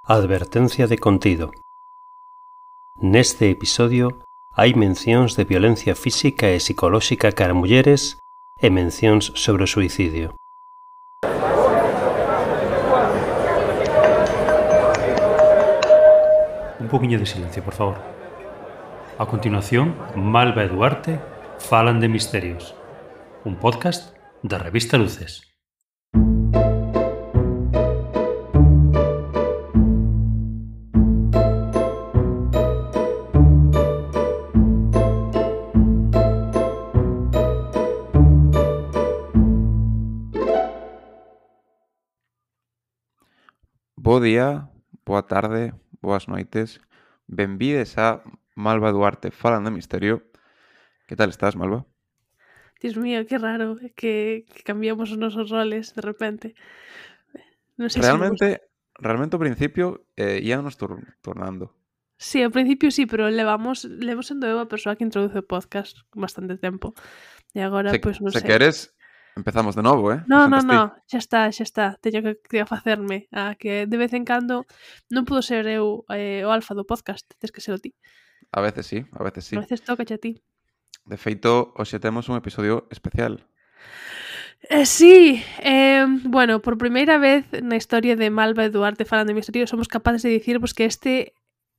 Advertencia de contido. Neste episodio hai mencións de violencia física e psicolóxica cara a mulleres e mencións sobre o suicidio. Un poquinho de silencio, por favor. A continuación, Malva e Duarte falan de misterios. Un podcast da revista Luces. Bo día, boa tarde, boas noites. Benvides a Malva e Duarte falan de misterio. Que tal estás, Malva? Dios mío, qué raro que cambiamos os nosos roles de repente. Non sei se me gusta. Realmente ao principio íamos tornando. Sí, ao principio sí, pero levamos sendo eu a persoa que introduce o podcast con bastante tempo. E agora, pois, non Se sei. queres, empezamos de novo, No, Presentas ti. xa está. Teño que facerme a que de vez en cando non puedo ser eu o alfa do podcast, tes que ser o ti. A veces sí. A veces toca a ti. De feito, hoxe temos un episodio especial. Sí, bueno, por primeira vez na historia de Malva e Duarte falando de misterio somos capaces de dicirvos que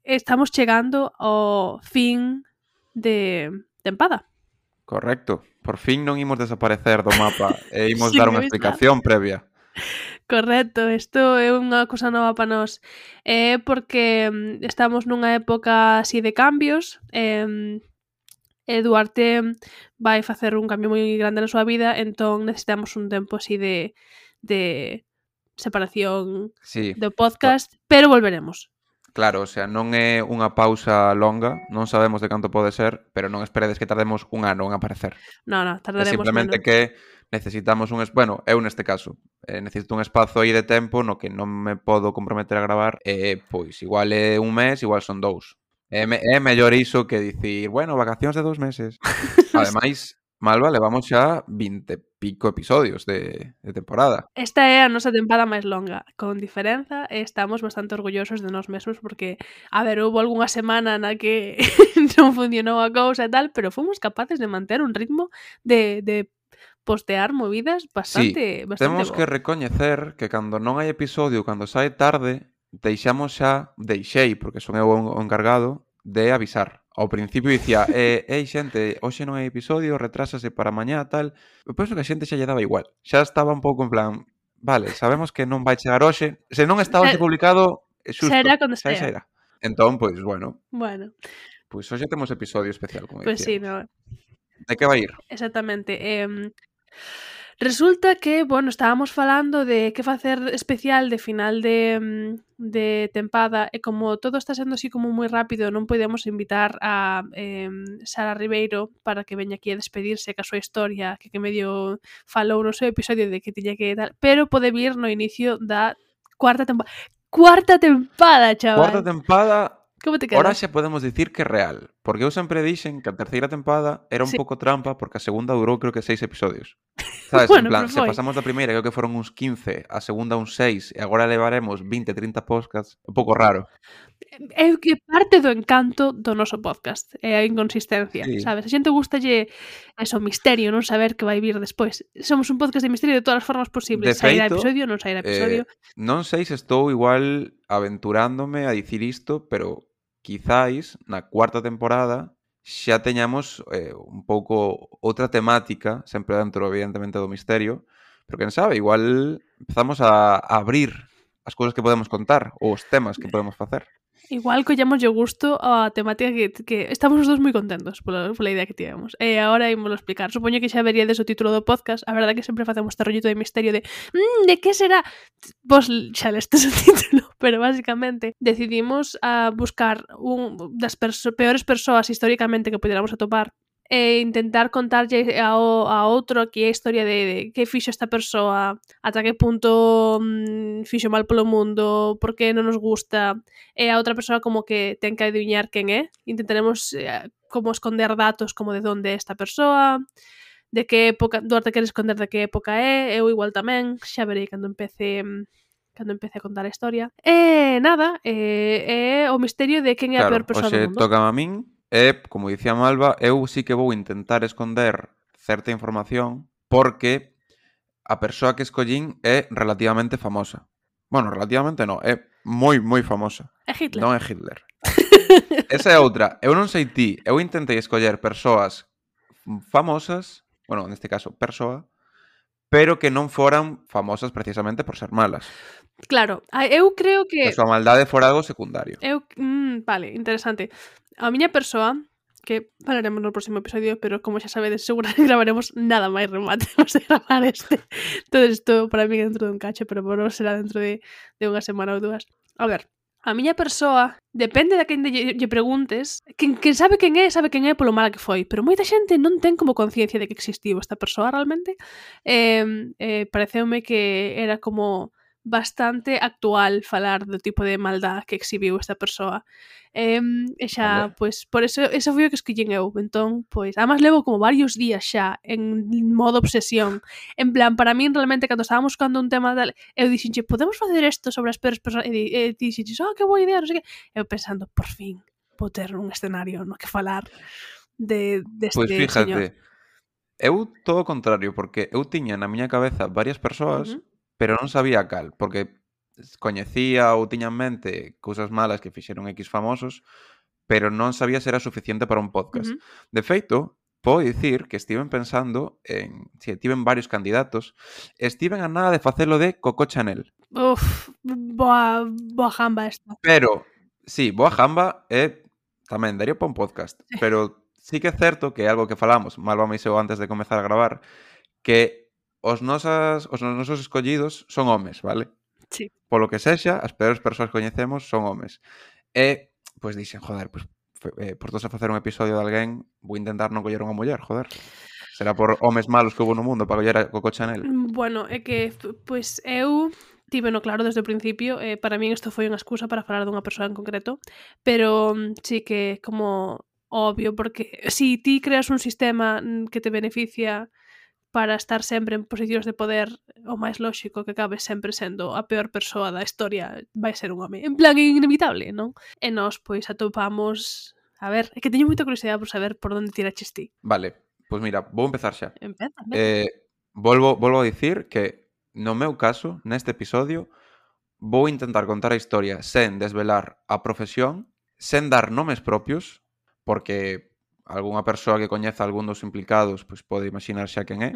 estamos chegando ao fin de tempada. Correcto. Por fin non imos desaparecer do mapa e imos Sin dar unha avisar. explicación previa. Correcto, isto é unha cousa nova para nós. Porque estamos nunha época así de cambios, e Duarte vai facer un cambio moi grande na súa vida, entón necesitamos un tempo así de separación Sí. do podcast, pero volveremos. Claro, o sea, non é unha pausa longa, non sabemos de canto pode ser, pero non esperedes que tardemos un ano en aparecer. No, É tardaremos simplemente menos. que necesitamos bueno, eu neste caso, necesito un espazo aí de tempo no que non me podo comprometer a gravar, pois igual é un mes, igual son 2. É mellor iso que dicir, bueno, vacacións de 2 meses. Ademais, Malva, levamos xa 20 e pico episodios de temporada. Esta é a nosa tempada máis longa, con diferenza, e estamos bastante orgullosos de nós mesmos porque, a ver, houve algunha semana na que non funcionou a cousa e tal, pero fomos capaces de manter un ritmo de postear movidas bastante Temos bo. que recoñecer que cando non hai episodio, cando sae tarde, deixei, porque son eu o encargado, de avisar. Ao principio dicía, ei xente, hoxe non hai episodio, retrásase para mañá, tal. Eu penso que a xente xa lle daba igual. Xa estaba un pouco en plan, vale, sabemos que non vai chegar hoxe. Se non está hoxe publicado, xusto, Será cando xa estea. era. Entón, pois, bueno, Bueno, pois hoxe temos episodio especial, como pois sí, dicíamos. no, De que vai ir? exactamente. Resulta que, bueno, estábamos falando de que facer especial de final de tempada e como todo está sendo así como moi rápido non podemos invitar a Sara Ribeiro para que veña aquí a despedirse ca súa historia que medio falou no seu episodio de que tiña que tal, pero pode vir no inicio da cuarta tempada. Cuarta tempada, chaval! Cuarta tempada. Como te Ahora queda? xa podemos dicir que é real, porque eu sempre dixen que a terceira tempada era un Sí. pouco trampa porque a segunda durou creo que 6 episodios. Sabes, Bueno, en plan, pero se foi. pasamos da primeira creo que foron uns 15, a segunda uns 6 e agora levaremos 20, 30 podcasts, un pouco raro. É que parte do encanto do noso podcast, é a inconsistencia, Sí. sabes? A xente gustalle eso, misterio, non saber que vai vir despois. Somos un podcast de misterio de todas as formas posibles. De Sairá feito, episodio, non sairá episodio. Non sei se estou igual aventurándome a dicir isto, pero quizáis na cuarta temporada xa teñamos un pouco outra temática, sempre dentro, evidentemente, do misterio, pero quen sabe, igual empezamos a abrir as cousas que podemos contar ou os temas que podemos facer. Igual collemos o gusto a temática que estamos os dous moi contentos pola idea que tivemos. E agora ímolo explicar. Supoño que xa veríades o título do podcast. A verdade que sempre facemos este rollito de misterio de de que será? Vos xa lestes o título, pero basicamente decidimos a buscar un das peores persoas históricamente que pudiéramos atopar e intentar contarlle a outro que é a historia de que fixo esta persoa, ata que punto fixo mal polo mundo, por que non nos gusta, e a outra persoa como que ten que adiviñar quen é. Intentaremos como esconder datos como de onde é esta persoa, de que época, Duarte quere esconder de que época é, eu igual tamén, xa verei cando empece cando empece a contar a historia. E nada, é o misterio de quen é a peor persoa do hoxe mundo. toca a min e, como dicía Malva, eu sí que vou intentar esconder certa información porque a persoa que escollín é relativamente famosa. Bueno, relativamente no, é moi, moi famosa. É Hitler. Non é Hitler. Esa é outra. Eu non sei ti, eu intentei escoller persoas famosas, bueno, neste caso, persoa, pero que non foran famosas precisamente por ser malas. Claro, eu creo Que que... a súa maldade fora algo secundario. Vale, interesante. A miña persoa, que falaremos no próximo episodio, pero como xa sabedes, seguramente gravaremos nada máis rematemos de gravar este. Todo isto para mí dentro dun cacho, pero por non será dentro de unha semana ou dúas. A ver, a miña persoa, depende de quen lle preguntes, quen sabe quen é polo mala que foi, pero moita xente non ten como conciencia de que existiu esta persoa realmente. Pareceume que era como bastante actual falar do tipo de maldad que exhibiu esta persoa. E xa, Vale. pois, por eso foi o que escollín eu. Entón, pois, además levo como varios días xa en modo obsesión. En plan, para min, realmente, cando estábamos buscando un tema tal, eu dixenche, podemos facer isto sobre as peores persoas? E dixenche, que boa idea, non sei que. Eu pensando, por fin, vou ter un escenario no que falar deste Pois señor. fíjate, eu todo o contrario, porque eu tiña na miña cabeza varias persoas, pero non sabía cal, porque coñecía ou tiña en mente cousas malas que fixeron X famosos, pero non sabía se era suficiente para un podcast. De feito, podo dicir que estiven pensando en, si tiven varios candidatos, estiven a nada de facelo de Coco Chanel. Uf, boa jamba esta. Pero, sí, boa jamba é tamén daría para un podcast, pero sí que é certo que é algo que falamos, Malva e eu antes de comezar a gravar, que os nosos escollidos son homes, vale? Sí. Polo que sexa, as peores persoas que coñecemos son homes. E, pois dixen, joder, pois, por todos a facer un episodio de alguén, vou intentar non coller unha muller, joder. Será por homes malos que houve no mundo para coller a Coco Chanel. Bueno, é que, pois, eu tiveno claro desde o principio, para min isto foi unha excusa para falar dunha persoa en concreto, pero sí que como obvio, porque si ti creas un sistema que te beneficia para estar sempre en posicións de poder, o máis lóxico que acabe sempre sendo a peor persoa da historia vai ser un home. En plan, inevitable, non? E nós, pois, atopamos... A ver, é que teño moita curiosidade por saber por onde tiraches ti. Vale, pois mira, vou empezar xa. Empeza. Volvo a dicir que, no meu caso, neste episodio, vou intentar contar a historia sen desvelar a profesión, sen dar nomes propios, porque algunha persoa que coñeza algún dos implicados pois pode imaginar xa quen é.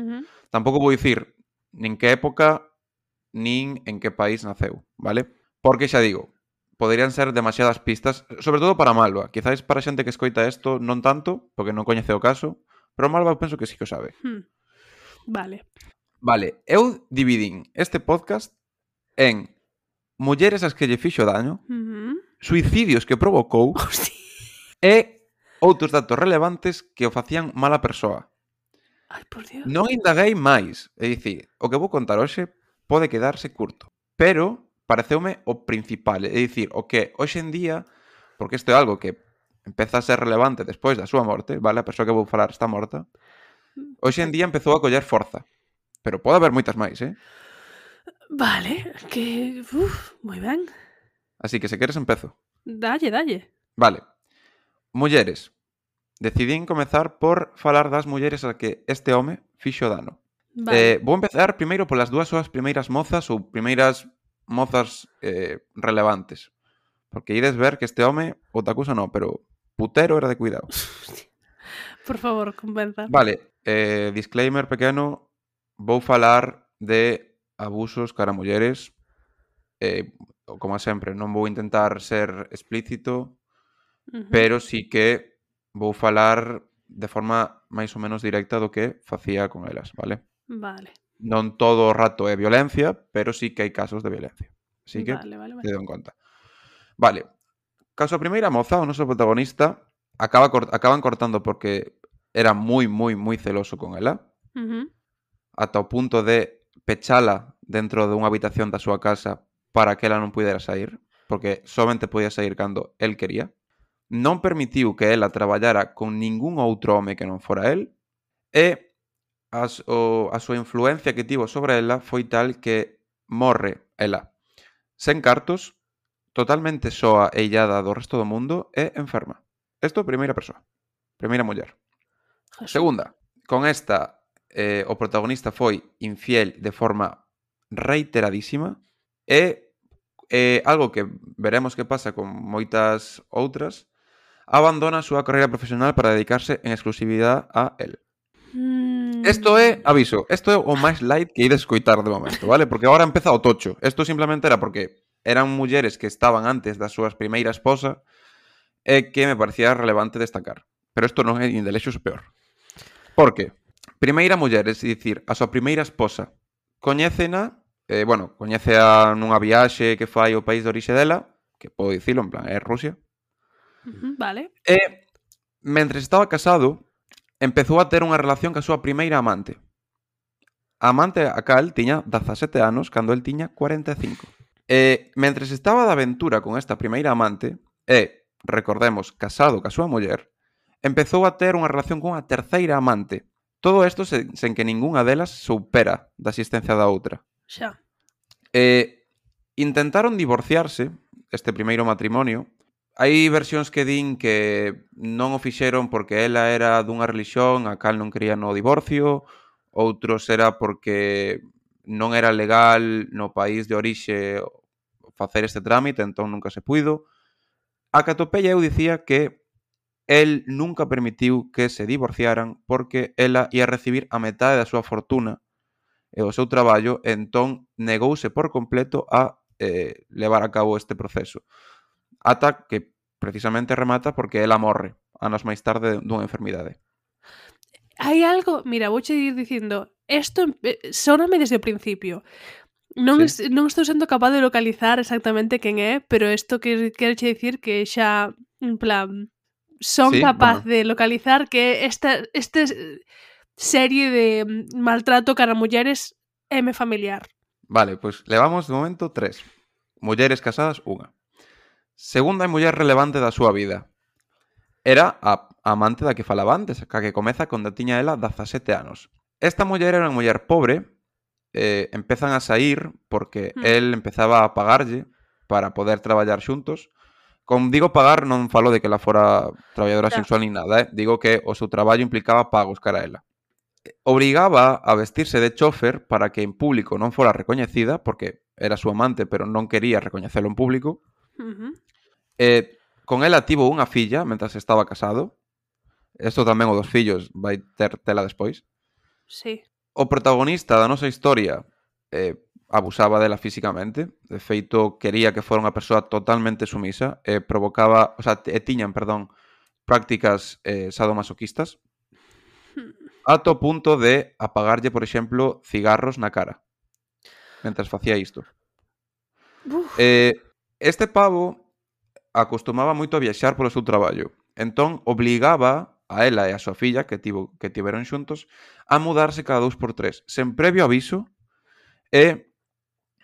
Tampouco vou dicir nin que época nin en que país naceu, vale? Porque xa digo, poderían ser demasiadas pistas, sobre todo para Malva. Quizáis para xente que escoita isto non tanto, porque non coñece o caso, pero Malva penso que sí que o sabe. Vale. Vale, eu dividín este podcast en mulleres as que lle fixo daño, suicidios que provocou e outros datos relevantes que o facían mala persoa. Ai, por Dios. Non indaguei máis, é dicir, o que vou contar hoxe pode quedarse curto, pero pareceume o principal, é dicir, o que hoxe en día, porque isto é algo que empeza a ser relevante despois da súa morte, vale, a persoa que vou falar está morta, hoxe en día empezou a coller forza, pero pode haber moitas máis, Vale, que... moi ben. Así que se queres empezo. Dalle. Vale. Mulleres. Decidín comezar por falar das mulleres a que este home fixo dano. Vale. Vou empezar primeiro polas dúas súas primeiras mozas ou primeiras mozas relevantes. Porque ides ver que este home, otakusa non, pero putero era de cuidado. Por favor, convenza. Vale, disclaimer pequeno, vou falar de abusos cara a mulleres. Como sempre, non vou intentar ser explícito, pero sí que vou falar de forma máis ou menos directa do que facía con elas, vale? Vale. Non todo o rato é violencia, pero sí que hai casos de violencia. Así que, Vale. tedo en conta. Vale, caso a primeira moza, o noso protagonista, acaban cortando porque era moi celoso con ela, ata o punto de pechala dentro dunha habitación da súa casa para que ela non pudera sair, porque somente podía sair cando el quería. Non permitiu que ela traballara con ningún outro home que non fora el, e a súa influencia que tivo sobre ela foi tal que morre ela sen cartos, totalmente soa e illada do resto do mundo e enferma. Isto é primeira persoa, primeira muller. Jesús. Segunda, con esta o protagonista foi infiel de forma reiteradísima e algo que veremos que pasa con moitas outras, abandona a súa carreira profesional para dedicarse en exclusividade a él. Isto é, aviso, isto é o máis light que ides escoitar de momento, vale? Porque agora empeza o tocho. Isto simplemente era porque eran mulleres que estaban antes da súa primeira esposa e que me parecía relevante destacar. Pero isto non é nin de lexos peor. Por que? Primeira muller, é dicir, a súa primeira esposa, coñécena, coñécea nunha viaxe que fai ao país de orixe dela, que podo dicilo, en plan, é Rusia. Vale. E, mentres estaba casado, empezou a ter unha relación ca súa primeira amante. A amante a cal tiña 17 anos cando el tiña 45. E, mentres estaba de aventura con esta primeira amante, e, recordemos, casado ca súa muller, empezou a ter unha relación con a terceira amante. Todo isto sen que ningunha delas soupera da existencia da outra. Xa. Intentaron divorciarse, este primeiro matrimonio. Hai versións que din que non o fixeron porque ela era dunha religión a cal non quería no divorcio, outros era porque non era legal no país de orixe facer este trámite, entón nunca se puido. A que atopei eu dicía que el nunca permitiu que se divorciaran porque ela ia recibir a metade da súa fortuna e o seu traballo, entón negouse por completo a levar a cabo este proceso. Ata que precisamente remata porque ela morre anos máis tarde dunha enfermidade. Hai algo, mira, vouche ir dicindo, isto sóname desde o principio. Non estou sendo capaz de localizar exactamente quen é, pero isto quero dicir que xa, en plan, son capaz de localizar que esta serie de maltrato cara a mulleres é me familiar. Vale, pois levamos de momento 3. Mulleres casadas, 1. Segunda muller relevante da súa vida. Era a amante da que falaba antes, a que comeza cando tiña ela 17 anos. Esta muller era unha muller pobre, empezan a sair porque el empezaba a pagarlle para poder traballar xuntos. Como digo pagar, non falo de que ela fora traballadora sexual nin nada, digo que o seu traballo implicaba pagos cara a ela. Obrigaba a vestirse de chofer para que en público non fora recoñecida, porque era súa amante, pero non quería recoñecelo en público. Con ela tivo unha filla mentras estaba casado. Isto tamén o dos fillos vai ter tela despois. Sí. O protagonista da nosa historia abusaba dela físicamente. De feito, quería que fora unha persoa totalmente sumisa e provocaba, tiñan, prácticas sadomasoquistas ata o punto de apagarlle, por exemplo, cigarros na cara mentras facía isto. Este pavo acostumaba moito a viaxar polo seu traballo. Entón, obligaba a ela e a súa filla, que tiveron xuntos, a mudarse cada 2x3, sen previo aviso, e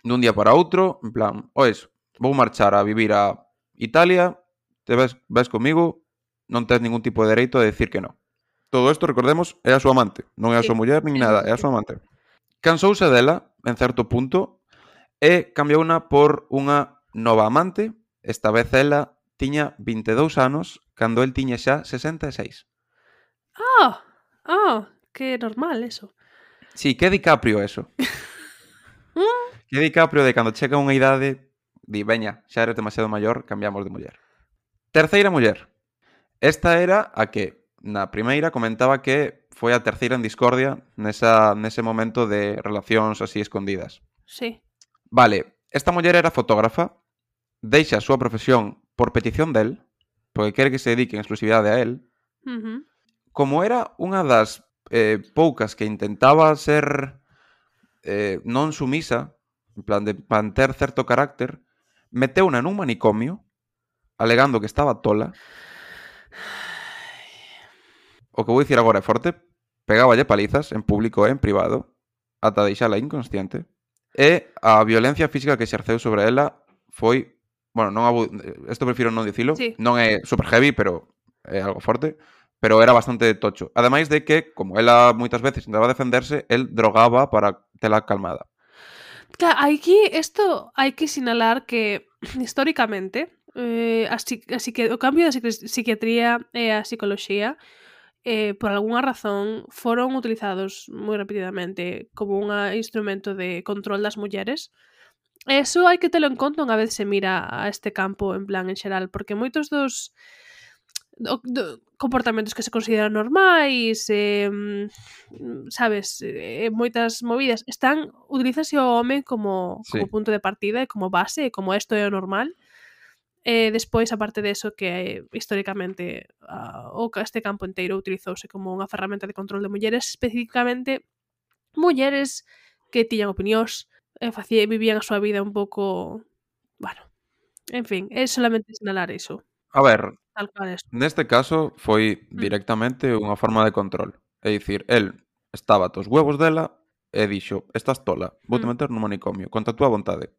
dun día para outro, en plan, oes, vou marchar a vivir a Italia, te ves comigo, non tens ningún tipo de dereito a decir que non. Todo isto, recordemos, é a súa amante, non é a súa muller nin nada, é a súa amante. Cansouse dela, en certo punto, e cambiouna por unha nova amante. Esta vez ela tiña 22 anos cando el tiña xa 66. Que normal eso. Sí, que DiCaprio eso. Que DiCaprio de cando chega unha idade di, veña, xa eres demasiado maior, cambiamos de muller. Terceira muller. Esta era a que na primeira comentaba que foi a terceira en discordia nese momento de relacións así escondidas. Sí. Vale, esta muller era fotógrafa, deixa a súa profesión por petición del, porque quere que se dedique en exclusividade a él. Como era unha das poucas que intentaba ser non sumisa, en plan de manter certo carácter, meteuna nun manicomio, alegando que estaba tola. O que vou dicir agora é forte. Pegáballe palizas en público e en privado ata deixala inconsciente. E a violencia física que exerceu sobre ela foi... Isto prefiro non dicilo. Sí. Non é super heavy, pero é algo forte. Pero era bastante tocho. Ademais de que, como ela moitas veces intentaba defenderse, el drogaba para tela calmada. Claro, aquí isto hai que sinalar que históricamente así que o cambio da psiquiatría e a psicoloxía por algunha razón foron utilizados moi repetidamente como un instrumento de control das mulleres. Eso hai que telo en conta unha vez se mira a este campo en plan en xeral, porque moitos dos comportamentos que se consideran normais, sabes, moitas movidas utilízase o home como Sí. punto de partida e como base, e como isto é o normal. Despois, aparte de eso, que históricamente este campo inteiro utilizouse como unha ferramenta de control de mulleres, especificamente mulleres que tiñan opinións e vivían a súa vida un pouco, bueno, en fin, é solamente sinalar iso, A ver, tal cual es. neste caso foi directamente unha forma de control. É dicir, el estaba aos huevos dela e dixo, estás tola, vou te meter no manicomio, contra a túa vontade.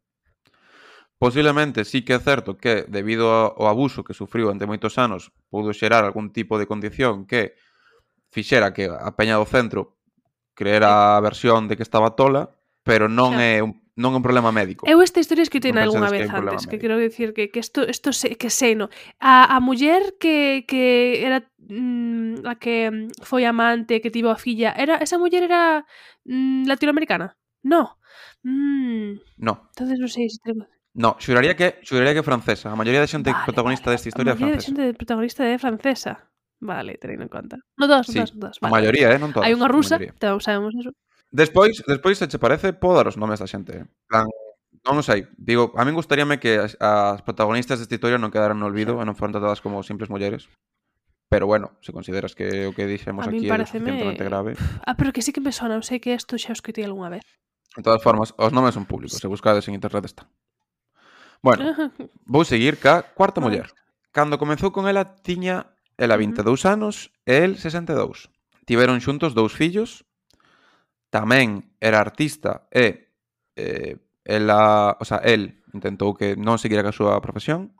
Posiblemente sí que é certo que, debido ao abuso que sufriu ante moitos anos, pudo xerar algún tipo de condición que fixera que a peña do centro creera a versión de que estaba tola, pero non Xa. é un problema médico. Eu esta historia escutei Non algunha pensedes que vez é un problema antes, que médico. quero dicir que isto que sei, no. A muller que era a que foi amante, que tivo a filla, esa muller era latinoamericana? No. No. Entonces non sei se tengo... No, xuraría que é francesa. A maioría da xente protagonista desta A historia é maioría da francesa. xente protagonista é francesa. Vale, teño en conta. No dos, Sí, vale. a maioría, non todas. Hai unha a rusa, maioría. sabemos eso. Despois, se che parece, podo dar os nomes da xente. En plan, non o sei. Digo, a min gustaríame que as protagonistas desta historia non quedaran no olvido e non foran tratadas como simples mulleres. Pero bueno, se consideras que o que dixemos A min aquí é lo pareceme... suficientemente grave. pero que sí que me sona, eu sei que isto xa o escutei algunha vez. De todas formas, os nomes son públicos. Se buscades en internet está. Bueno, vou seguir ca cuarta Vale. muller. Cando comezou con ela, tiña ela 22 anos e el 62. Tiveron xuntos 2 fillos. Tamén era artista e el intentou que non seguira ca súa profesión.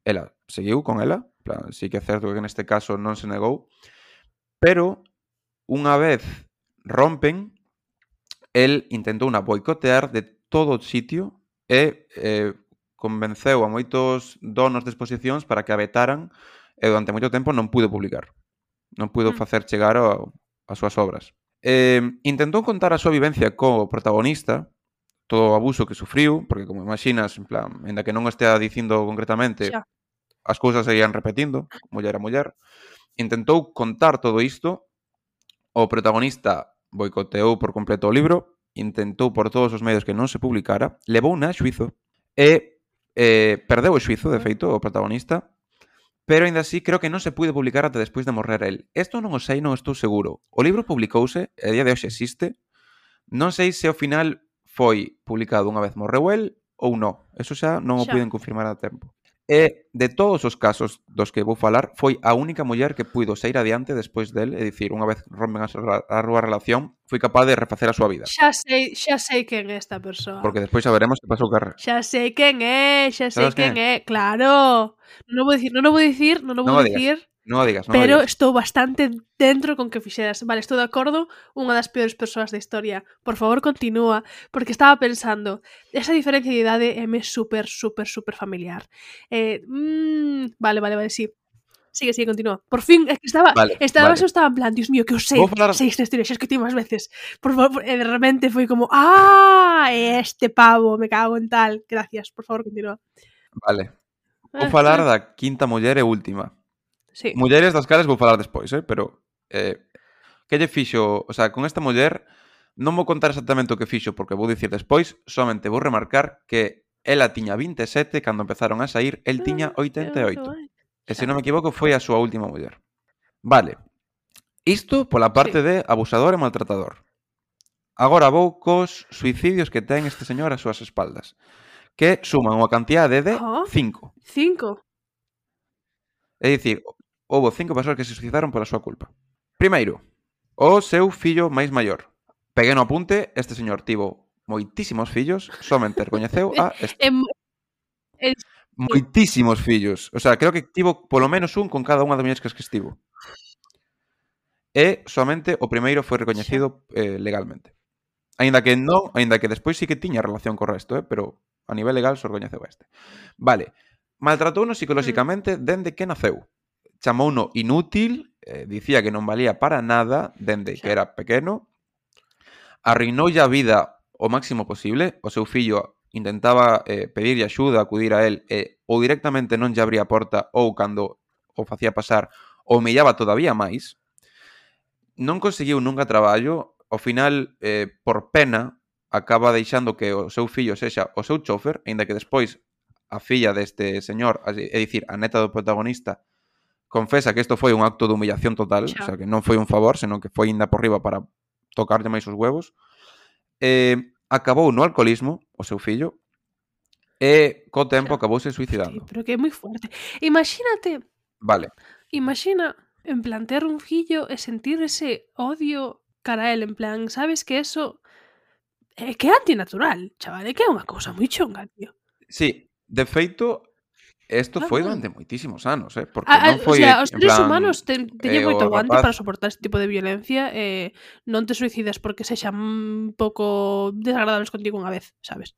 Ela seguiu con ela. En plan, sí que é certo que neste caso non se negou. Pero, unha vez rompen, el intentou boicotear de todo o sitio e convenceu a moitos donos de exposicións para que a vetaran e durante moito tempo non pudo publicar. Non pudo facer chegar as súas obras. Intentou contar a súa vivencia co protagonista, todo o abuso que sufriu, porque como imaginas, en plan, ainda que non o estea dicindo concretamente, Xa. as cousas seguían repetindo, muller a muller. Intentou contar todo isto, o protagonista boicoteou por completo o libro, intentou por todos os medios que non se publicara, levouna a xuizo e perdeu o xuizo, de feito, o protagonista, pero aínda así creo que non se puide publicar ata despois de morrer el. Isto non o sei, non estou seguro. O libro publicouse, e a día de hoxe existe. Non sei se ao final foi publicado unha vez morreu el ou non. Eso xa non o puiden confirmar a tempo. E de todos os casos dos que vou falar, foi a única muller que puido sair adiante despois del, é dicir, unha vez rompen a súa relación, foi capaz de refacer a súa vida. Xa sei quen é esta persoa. Porque despois saberemos que pasou carreira. Xa sei quen é, claro. Non o vou dicir, Non o digas. pero estou bastante dentro con que fixeras. Vale, estou de acordo, unha das peores persoas da historia. Por favor, continúa, porque estaba pensando, esa diferencia de idade é me super familiar. Vale, sí. Sigue, continúa. Por fin, é que estaba en plan, Dios mío, que eu sei esta historia, xa escutei máis veces. Por favor, e de repente foi como, este pavo, me cago en tal. Gracias, por favor, continúa. Vale. Vou falar da quinta muller e última. Sí. Mulleres das cales vou falar despois, pero que lle fixo, o sea, con esta muller non vou contar exactamente o que fixo porque vou dicir despois, somente vou remarcar que ela tiña 27 cando empezaron a sair, el tiña 88. E se non me equivoco foi a súa última muller. Vale. Isto pola parte de abusador e maltratador. Agora vou cos suicidios que ten este señor ás súas espaldas, que suman unha cantidade de 5. 5? É dicir, houbo 5 persoas que se suicidaron pola súa culpa. Primeiro, o seu fillo máis maior. Peguei no apunte, este señor tivo moitísimos fillos, somente recoñeceu a este. Moitísimos fillos. O sea, creo que tivo polo menos un con cada unha das mulleres que estivo. E somente o primeiro foi recoñecido legalmente. Aínda que despois sí que tiña relación co resto, pero a nivel legal só recoñeceu este. Vale, maltratouno psicolóxicamente dende que naceu. Chamouno inútil, dicía que non valía para nada dende que era pequeno, arruinoulle a vida o máximo posible, o seu fillo intentaba pedirlle axuda, acudir a él, ou directamente non lle abría a porta, ou cando o facía pasar, o humillaba todavía máis. Non conseguiu nunca traballo, ao final, por pena, acaba deixando que o seu fillo sexa o seu chofer, aínda que despois a filla deste señor, é dicir, a neta do protagonista, confesa que isto foi un acto de humillación total, o sea, que non foi un favor, senón que foi inda por riba para tocarlle máis os huevos. Acabou no alcoholismo, o seu fillo, e co tempo acabouse suicidando. Sí, pero que é moi fuerte. Imagínate. Vale. Imagina, en plan, ter un fillo e sentir ese odio cara a él, en plan, sabes que eso é que é antinatural, chaval, é que é unha cousa moi chunga, tío. Sí, de feito, isto Claro, foi claro. durante moitísimos anos, porque non foi, O sea, os en seres plan, humanos teñen moito o aguante rapaz... para soportar este tipo de violencia e non te suicidas porque sexan un pouco desagradables contigo unha vez, sabes?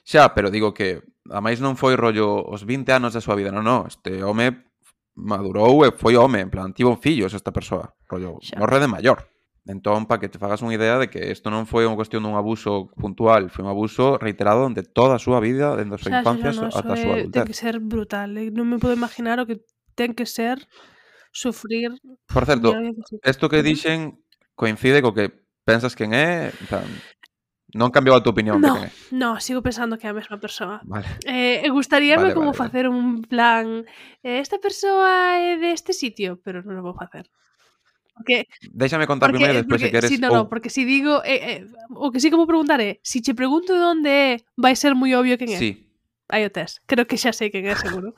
Xa, pero digo que a máis non foi rollo os 20 anos da súa vida, non, este home madurou e foi home, en plan, tivo fillos esta persoa, rollo, Xa. morre de maior. Entón, para que te fagas unha idea de que isto non foi unha cuestión dun abuso puntual, foi un abuso reiterado durante toda a súa vida, dende a súa infancia no, ata a eso súa ten adultez. que ser brutal, non me podo imaginar o que ten que ser sufrir. Por certo, isto que Ujú. dixen coincide co que pensas quen é, en plan, non cambiou a tua opinión de quen é. No, sigo pensando que é a mesma persoa. Vale. Gustaríame Vale. facer un plan, esta persoa é deste sitio, pero non o vou facer. Porque Déxame contar primeiro e despois se queres... si, porque si digo, o que sí que vou preguntar é, si che pregunto de onde é, vai ser moi obvio quen é. Sí. Aí o tes. Creo que xa sei quen é, seguro.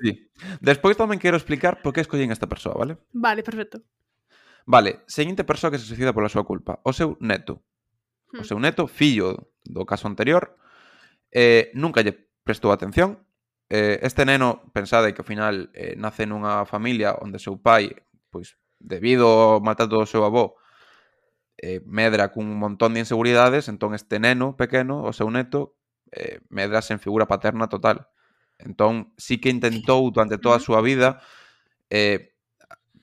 Sí. Despois tamén quero explicar por que escollín esta persoa, vale? Vale, perfecto. Vale, seguinte persoa que se suicida pola súa culpa, o seu neto. O seu neto, fillo do caso anterior, nunca lle prestou atención. Este neno, pensade que ao final nace nunha familia onde o seu pai, pois, debido ao maltrato do seu avó, medra cun montón de inseguridades, entón este neno pequeno, o seu neto, medra sen figura paterna total. Entón, sí que intentou durante toda a súa vida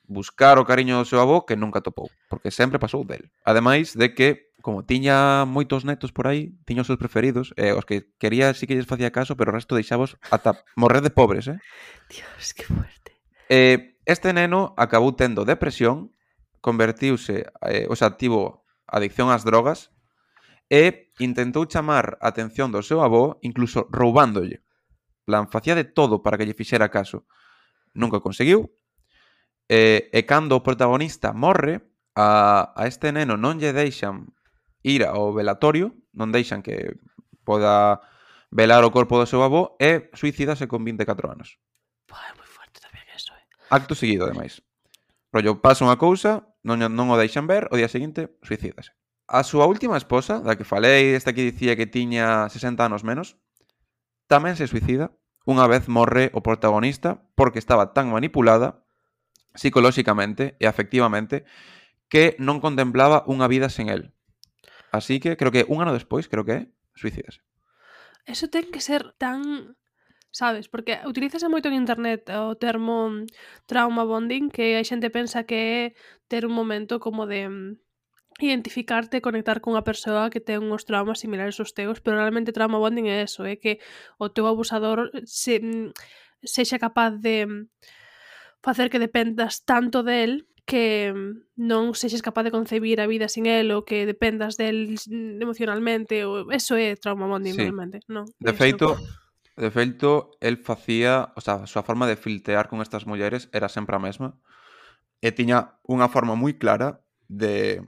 buscar o cariño do seu avó que nunca topou, porque sempre pasou del. Ademais de que, como tiña moitos netos por aí, tiña os seus preferidos, os que quería sí que lles facía caso, pero o resto deixabos ata morrer de pobres, Dios, que fuerte. Este neno acabou tendo depresión, convertiuse, o sea, tivo adicción ás drogas e intentou chamar a atención do seu avó, incluso roubándolle. Plan, facía de todo para que lle fixera caso. Nunca conseguiu. E cando o protagonista morre, a este neno non lle deixan ir ao velatorio, non deixan que poda velar o corpo do seu avó e suicídase con 24 anos. É moi fuerte tamén eso, Acto seguido, ademais. Rollo, pasa unha cousa, non o deixan ver, o día seguinte suicídase. A súa última esposa, da que falei, esta que dicía que tiña 60 anos menos, tamén se suicida. Unha vez morre o protagonista porque estaba tan manipulada psicolóxicamente e afectivamente que non contemplaba unha vida sen él. Así que creo que un ano despois, suicídase. Eso ten que ser tan... Sabes, porque utilízase moito en internet o termo trauma bonding, que a xente pensa que é ter un momento como de identificarte e conectar cunha persoa que ten uns traumas similares aos teus, pero realmente trauma bonding é eso, é que o teu abusador sexa capaz de facer que dependas tanto del que non sexes capaz de concebir a vida sin el ou que dependas del emocionalmente, ou eso é trauma bonding, Sí. realmente, non? De feito, el facía, o sea, a súa forma de filtrear con estas mulleres era sempre a mesma e tiña unha forma moi clara de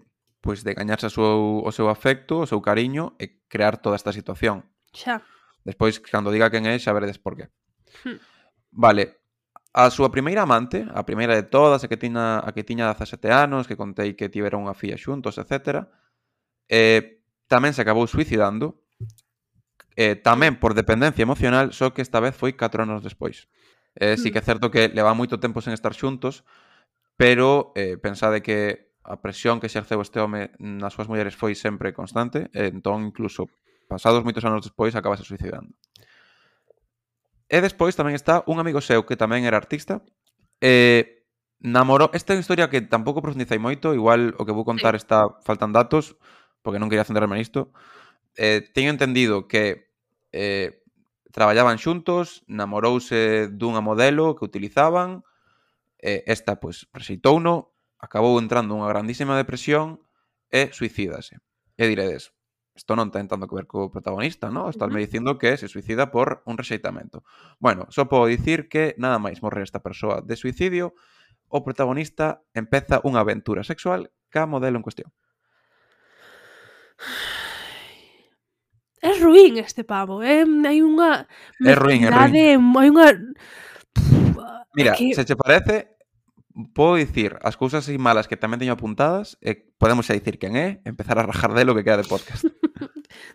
gañarse o seu afecto, o seu cariño e crear toda esta situación. Xa. Despois, cando diga quen é, xa veredes por qué. Vale. A súa primeira amante, a primeira de todas, a que tiña 17 anos, que contei que tiveron unha filla xuntos, etc., tamén se acabou suicidando, tamén por dependencia emocional, só que esta vez foi 4 anos despois. Sí que é certo que leva moito tempo sen estar xuntos, pero pensade que a presión que exerceu este home nas súas mulleres foi sempre constante, e entón incluso pasados moitos anos despois acabase suicidando. E despois tamén está un amigo seu que tamén era artista, namorou... Esta é unha historia que tampouco profundizei moito, igual o que vou contar faltan datos, porque non quería centrarme nisto. Teño entendido que traballaban xuntos, namorouse dunha modelo que utilizaban, esta, pois, rexeitouno, acabou entrando nunha grandísima depresión e suicídase. E diredes, isto non ten tanto que ver co protagonista, non? Estásme dicindo que se suicida por un rexeitamento. Bueno, só podo dicir que nada máis morrer esta persoa de suicidio, o protagonista empeza unha aventura sexual ca modelo en cuestión. É ruín este pavo, hai unha É ruín, é ruín. hai unha... Mira, que... se che parece, podo dicir as cousas así malas que tamén teño apuntadas e podemos xa dicir quen é, empezar a rajar delo que queda de podcast.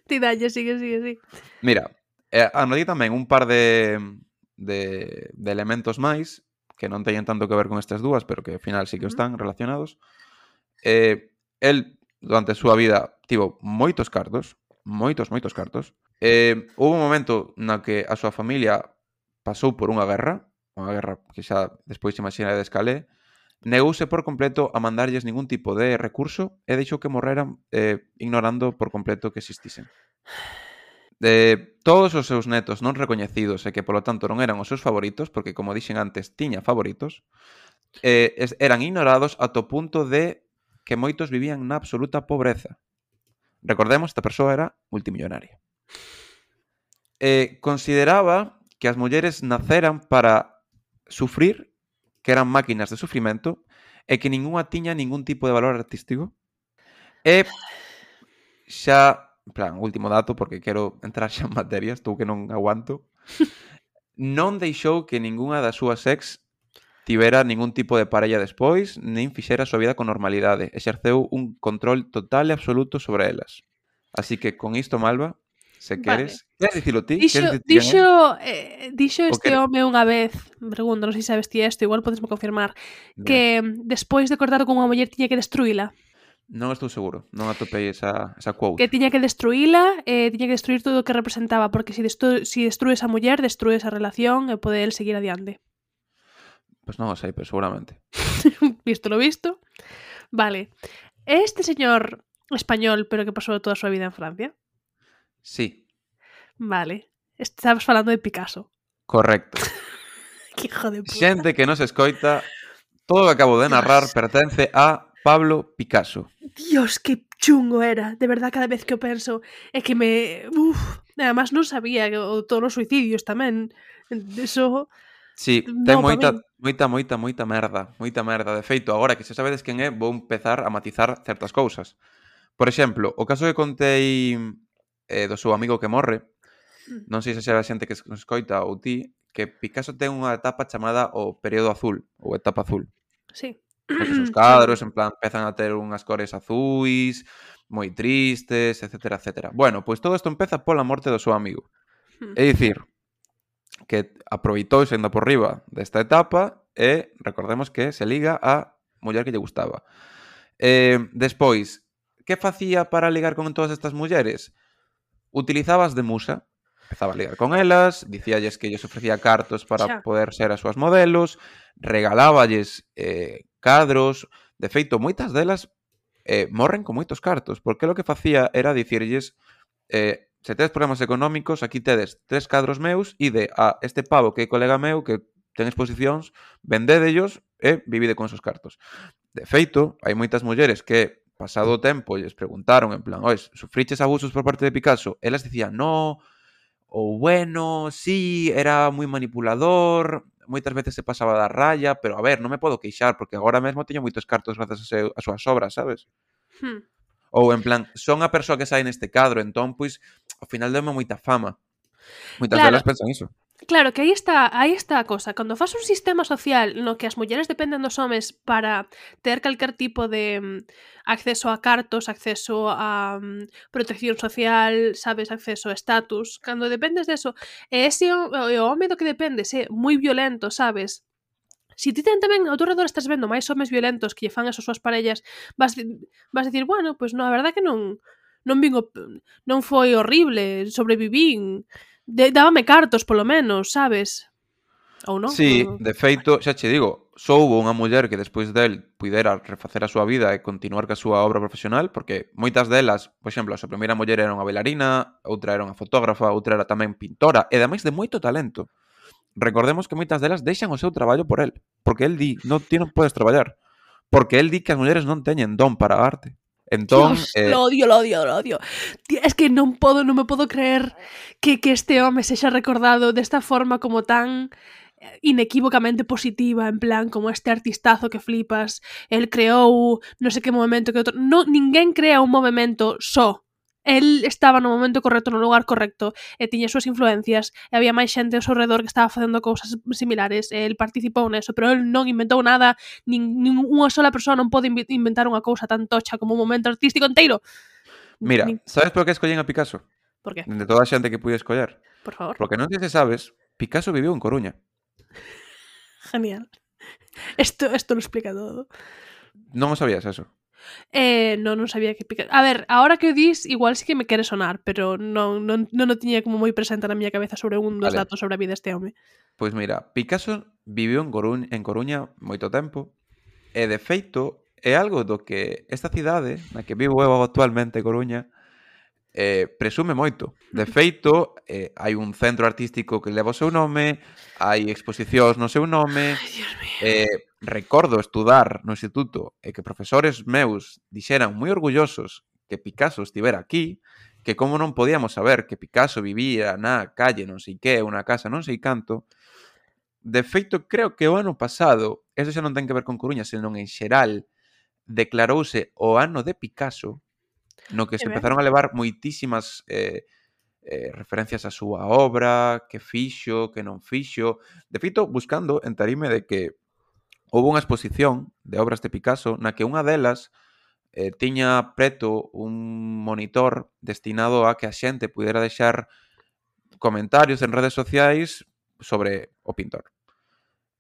Ti dalle, sigue. Mira, anotei tamén un par de elementos máis que non teñen tanto que ver con estas dúas, pero que ao final sí que están relacionados. El, durante a súa vida, tivo moitos cartos. Moitos cartos. Houve un momento na que a súa familia pasou por unha guerra que xa despois imagina de escalé, negouse por completo a mandarlles ningún tipo de recurso e deixou que morreran ignorando por completo que existisen. Todos os seus netos non recoñecidos e que polo tanto non eran os seus favoritos, porque como dixen antes tiña favoritos, eran ignorados ata o punto de que moitos vivían na absoluta pobreza. Recordemos, esta persoa era multimillonaria. Consideraba que as mulleres naceran para sufrir, que eran máquinas de sufrimento, e que ningunha tiña ningún tipo de valor artístico. E xa, en plan, último dato, porque quero entrar xa en materia, estou que non aguanto, non deixou que ningunha das súas ex tivera ningún tipo de parella despois, nin fixera a súa vida con normalidade. Exerceu un control total e absoluto sobre elas. Así que con isto, Malva, se queres... Queres dicilo ti? Dixo este home unha vez, pregunto, non sei se sabes ti isto, igual podesme confirmar, que despois de cortar con unha muller tiña que destruíla. Non estou seguro, non atopei esa quote. Que tiña que destruíla, tiña que destruir todo o que representaba, porque se destrues a muller, destrues a relación e pode el seguir adiante. Pois non o sei, pero seguramente. Visto lo visto. Vale. Este señor español, pero que pasou toda a súa vida en Francia? Sí. Vale. Estabas falando de Picasso. Correcto. Que hijo de puta. Xente que nos escoita, todo o que acabo de narrar pertence a Pablo Picasso. Dios, que chungo era. De verdad, cada vez que o penso é que me... Además, non sabía que todos os suicidios tamén. Eso... Sí, ten moita merda. Moita merda. De feito, agora que xa sabedes quen é, vou empezar a matizar certas cousas. Por exemplo, o caso que contei do seu amigo que morre, non sei se xa a xente que nos escoita ou ti, que Picasso ten unha etapa chamada o período azul, ou etapa azul. Sí. Porque os cadros, en plan, empezan a ter unhas cores azuis, moi tristes, etcétera, etcétera. Bueno, pois todo isto empeza pola morte do seu amigo. É dicir, que aproveitou sendo por riba desta etapa e recordemos que se liga a muller que lle gustaba. Despois, que facía para ligar con todas estas mulleres? Utilizabas de musa. Empezaba a ligar con elas, dicíalles que lles ofrecía cartos para poder ser as súas modelos, regaláballes cadros. De feito, moitas delas morren con moitos cartos, porque lo que facía era dicirlles se tedes problemas económicos, aquí tedes 3 cadros meus, ide a este pavo que é colega meu, que ten exposicións, vendédellos e vivide con esos cartos. De feito, hai moitas mulleres que, pasado o tempo, lles preguntaron, en plan, ois, sufriches abusos por parte de Picasso? Elas dicían, no, ou bueno, sí, era moi manipulador, moitas veces se pasaba da raya, pero a ver, non me podo queixar, porque agora mesmo teño moitos cartos grazas a súas obras, sabes? Ou en plan, son a persoa que sai neste cadro, entón, pois, ao final deu-me moita fama. Moitas delas pensan iso. Claro, que aí está a cosa. Cando faz un sistema social no que as mulleres dependen dos homes para ter calquer tipo de acceso a cartos, acceso a protección social, sabes, acceso a estatus, cando dependes deso, e ese o home do que dependes é moi violento, sabes, Si ti tamén ao teu redor estás vendo máis homes violentos que lle fan as súas parellas, vas dicir, bueno, pois a verdad que non foi horrible, sobrevivín, dábame cartos polo menos, sabes? Ou non? Sí, de feito, xa che digo, só houbo unha muller que despois del puidera refacer a súa vida e continuar ca súa obra profesional, porque moitas delas, por exemplo, a súa primeira muller era unha bailarina, outra era unha fotógrafa, outra era tamén pintora, e ademais de moito talento. Recordemos que moitas delas deixan o seu traballo por el, porque el di, ti non podes traballar, porque el di que as mulleres non teñen don para a arte. Entón, Dios, lo odio. Tío, es que non me podo creer que este home sexa recordado desta forma como tan inequívocamente positiva, en plan, como este artistazo que flipas, el creou non sei que movimento que outro... Ninguén crea un movimento só. El estaba no momento correcto, no lugar correcto, e tiña as súas influencias, e había máis xente ao seu redor que estaba facendo cousas similares, e el participou neso, pero el non inventou nada, nin unha sola persoa non pode inventar unha cousa tan tocha como un momento artístico inteiro. Mira, sabes por que escollen a Picasso? Por qué? De toda a xente que pude escoller. Por favor. Porque non sei se sabes, Picasso viviu en Coruña. Genial. Esto lo explica todo. Non o sabías eso? Non sabía que Picasso... A ver, ahora que o dis, igual sí que me quere sonar, pero non o tiña como moi presente na miña cabeza sobre un dos datos sobre a vida deste home. Pois mira, Picasso viviu en Coruña moito tempo, e de feito é algo do que esta cidade na que vivo eu actualmente, Coruña, presume moito. De feito, hai un centro artístico que leva o seu nome, hai exposicións no seu nome. Ai, Dios mío. Recordo estudar no instituto e que profesores meus dixeran moi orgullosos que Picasso estivera aquí, que como non podíamos saber que Picasso vivía na calle non sei que, unha casa non sei canto. De feito, creo que o ano pasado, eso xa non ten que ver con Coruña, senón en xeral, declarouse o ano de Picasso, no que se empezaron a levar moitísimas referencias á súa obra, que fixo, que non fixo. De feito, buscando, entaríme de que houve unha exposición de obras de Picasso na que unha delas tiña preto un monitor destinado a que a xente pudera deixar comentarios en redes sociais sobre o pintor.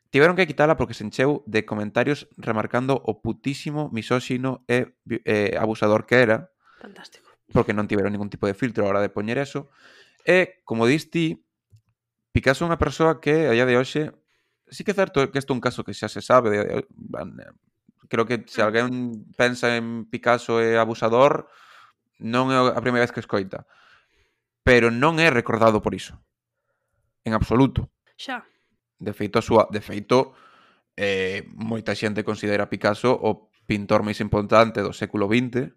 Tiveron que quitala porque se encheu de comentarios remarcando o putísimo misóxino e abusador que era. Fantástico. Porque non tiveron ningún tipo de filtro a hora de poñer eso. E, como dis ti, Picasso é unha persoa que, a día de hoxe, sí que é certo que isto é un caso que xa se sabe. Creo que se alguén pensa en Picasso e abusador, non é a primeira vez que escoita. Pero non é recordado por iso. En absoluto. Xa. De feito, moita xente considera Picasso o pintor máis importante do século XX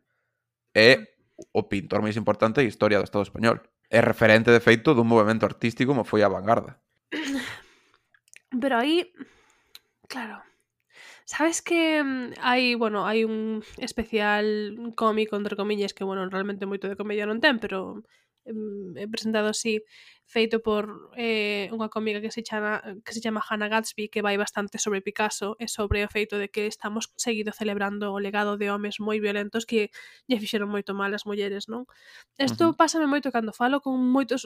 e o pintor máis importante da historia do Estado español. É referente, de feito, dun movimento artístico como foi a vanguarda. Pero aí, claro, sabes que hai un especial cómico, entre comillas, que, realmente moito de comedia non ten, pero é presentado así, feito por unha cómica que se chama Hannah Gadsby, que vai bastante sobre Picasso e sobre o feito de que estamos seguido celebrando o legado de homes moi violentos que lle fixeron moito mal as mulleres, non? Isto pásame moito cando falo con moitos...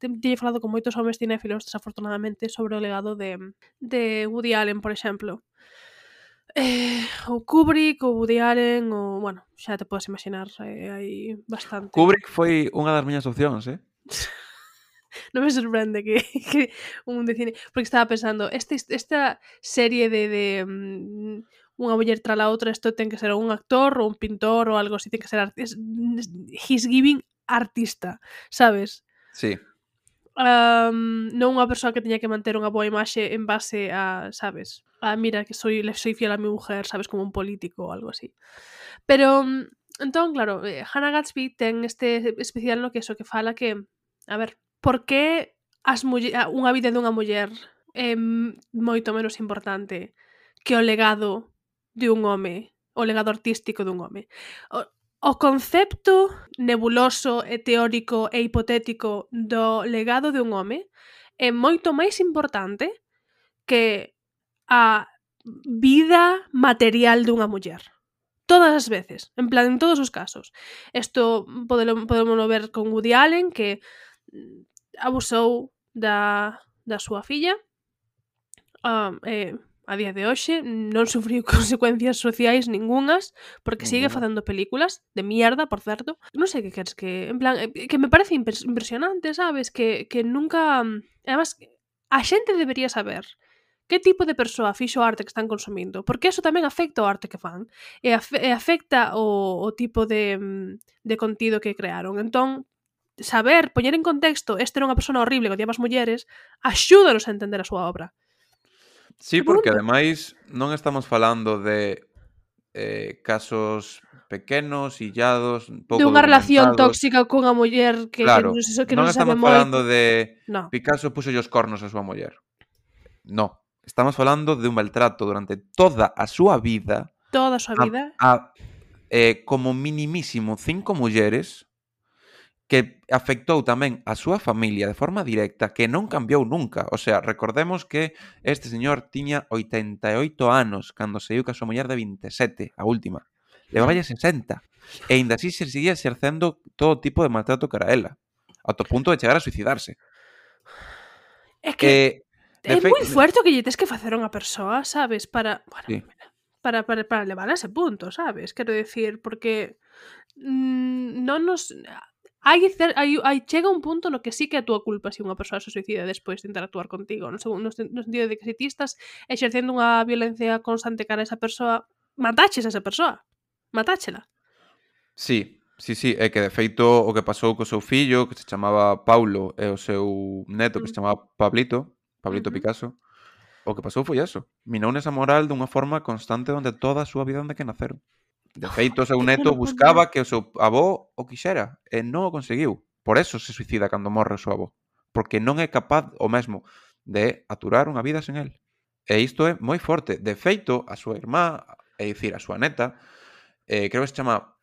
Teño falado con moitos homes cinéfilos, desafortunadamente, sobre o legado de Woody Allen, por exemplo. O Kubrick, o Woody Allen, o... Bueno, xa te podes imaginar, hai bastante. Kubrick foi unha das miñas opcións, Non me sorprende que un de cine... Porque estaba pensando, esta serie de unha muller tras a outra, isto ten que ser un actor ou un pintor ou algo así, ten que ser he's giving artista, sabes? Sí. Non unha persoa que teña que manter unha boa imaxe en base a, sabes, mira que soy fiel a mi mujer, sabes, como un político ou algo así. Pero, entón, claro, Hannah Gadsby ten este especial no que eso, que fala que, a ver, por que unha vida dunha muller é moito menos importante que o legado de un home, o legado artístico dun home. O concepto nebuloso e teórico e hipotético do legado de un home é moito máis importante que a vida material dunha muller. Todas as veces, en plan, en todos os casos. Isto podemos ver con Woody Allen, que abusou da súa filla, a día de hoxe non sufriu consecuencias sociais ningunhas porque sigue facendo películas de mierda, por certo. Non sei que queres que, en plan, que me parece impresionante, sabes? Que nunca, además, a xente debería saber que tipo de persoa fixo o arte que están consumindo, porque eso tamén afecta o arte que fan e afecta o tipo de contido que crearon. Entón, saber, poñer en contexto este era unha persona horrible que odiaba as mulleres, axúdanos a entender a súa obra. Sí, porque ademais non estamos falando de casos pequenos, illados, De pouco unha relación documentados. tóxica cunha muller que Claro, non non se sabe estamos moito. falando de No. Picasso puxo os cornos a súa muller. No, estamos falando de un maltrato durante toda a súa vida Toda a súa vida. como minimísimo 5 mulleres que afectou tamén a súa familia de forma directa, que non cambiou nunca. O sea, recordemos que este señor tiña 88 anos cando saiu ca súa muller de 27, a última. Levaballe 60. E aínda así se seguía exercendo todo tipo de maltrato cara a ela, ata o punto de chegar a suicidarse. É que é moi De fuerte o que lle tes que facer a unha persoa, sabes? Para, bueno, Sí. para levar a ese punto, sabes? Quero decir, porque non nos... Hai chega un punto no que sí que é a túa culpa se unha persoa se suicida despois de interactuar contigo, no sentido de que se ti estás exercendo unha violencia constante cara a esa persoa, mataches a esa persoa. Matáchela. Sí, é que de feito o que pasou co seu fillo, que se chamaba Paulo, e o seu neto, que se chamaba Pablito Picasso, o que pasou foi eso. Minou nesa moral dunha forma constante onde toda a súa vida onde que naceron. De feito, o seu neto buscaba que o seu avó o quixera e non o conseguiu. Por eso se suicida cando morre o seu avó. Porque non é capaz o mesmo de aturar unha vida sen el. E isto é moi forte. De feito, a súa irmá, é dicir, a súa neta, creo que se chama...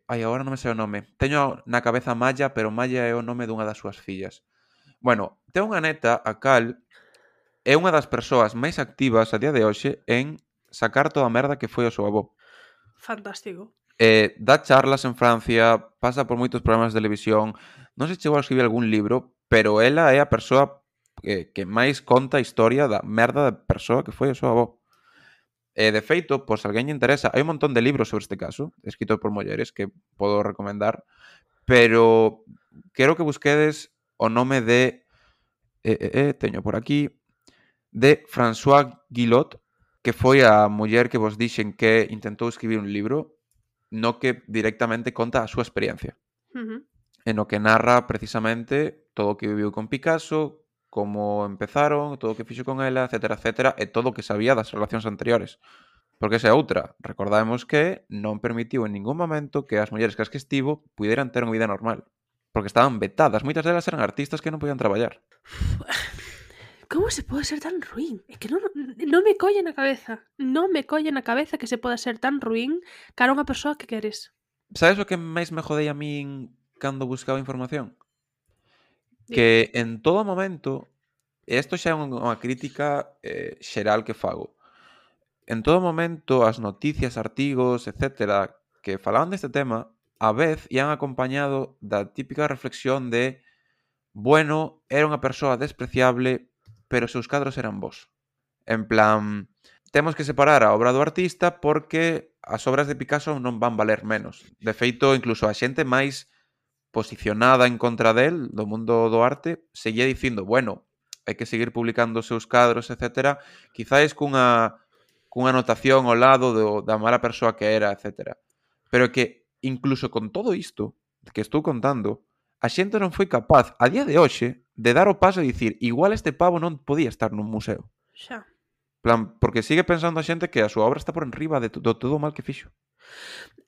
agora non me sei o nome. Teño na cabeza Maya, pero Maya é o nome dunha das súas fillas. Bueno, ten unha neta a cal é unha das persoas máis activas a día de hoxe en sacar toda a merda que foi o seu avó. Fantástico. Dá charlas en Francia, pasa por moitos programas de televisión, non sei se chegou a escribir algún libro, pero ela é a persoa que máis conta a historia da merda de persoa que foi o seu avó. De feito, por se alguén lle interesa, hai un montón de libros sobre este caso, escritos por mulleres, que podo recomendar, pero quero que busquedes o nome de... teño por aquí, de François Guillot, que foi a muller que vos dixen que intentou escribir un libro no que directamente conta a súa experiencia. En no que narra precisamente todo o que viviu con Picasso, como empezaron, todo o que fixo con ela, etcétera, etcétera, e todo o que sabía das relacións anteriores. Porque esa é outra. Recordamos que non permitiu en ningún momento que as mulleres que estivo puderan ter unha vida normal. Porque estaban vetadas. Moitas delas eran artistas que non podían traballar. Como se pode ser tan ruín? É que non me colle na cabeza. Non me colle na cabeza que se poda ser tan ruín cara a unha persoa que queres. Sabes o que máis me jodei a min cando buscaba información? Dime. Que en todo momento, e isto xa é unha crítica xeral que fago, en todo momento as noticias, artigos, etcétera, que falaban deste tema, a vez ian acompañado da típica reflexión de bueno, era unha persoa despreciable, pero os seus cadros eran bons. En plan, temos que separar a obra do artista porque as obras de Picasso non van valer menos. De feito, incluso a xente máis posicionada en contra del, do mundo do arte, seguía dicindo, bueno, hai que seguir publicando os seus cadros, etcétera, quizáis cunha anotación ao lado da mala persoa que era, etcétera. Pero que, incluso con todo isto que estou contando, a xente non foi capaz, a día de hoxe, de dar o paso e dicir, igual este pavo non podía estar nun museo. Xa. Plan, porque sigue pensando a xente que a súa obra está por enriba de todo o mal que fixo.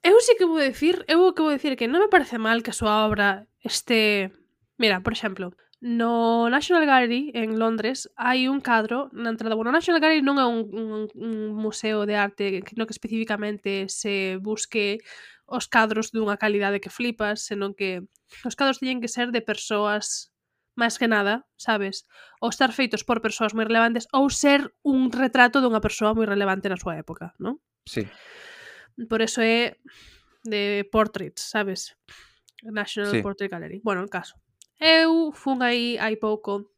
Eu sí que vou dicir que non me parece mal que a súa obra este... Mira, por exemplo, no National Gallery en Londres hai un cadro na entrada. Bueno, o National Gallery non é un museo de arte no que especificamente se busque os cadros dunha calidade que flipas, senón que os cadros teñen que ser de persoas máis que nada, sabes? Ou estar feitos por persoas moi relevantes ou ser un retrato dunha persoa moi relevante na súa época, non? Sí. Por eso é de portraits, sabes? National Sí. Portrait Gallery. Bueno, en caso. Eu fun aí hai pouco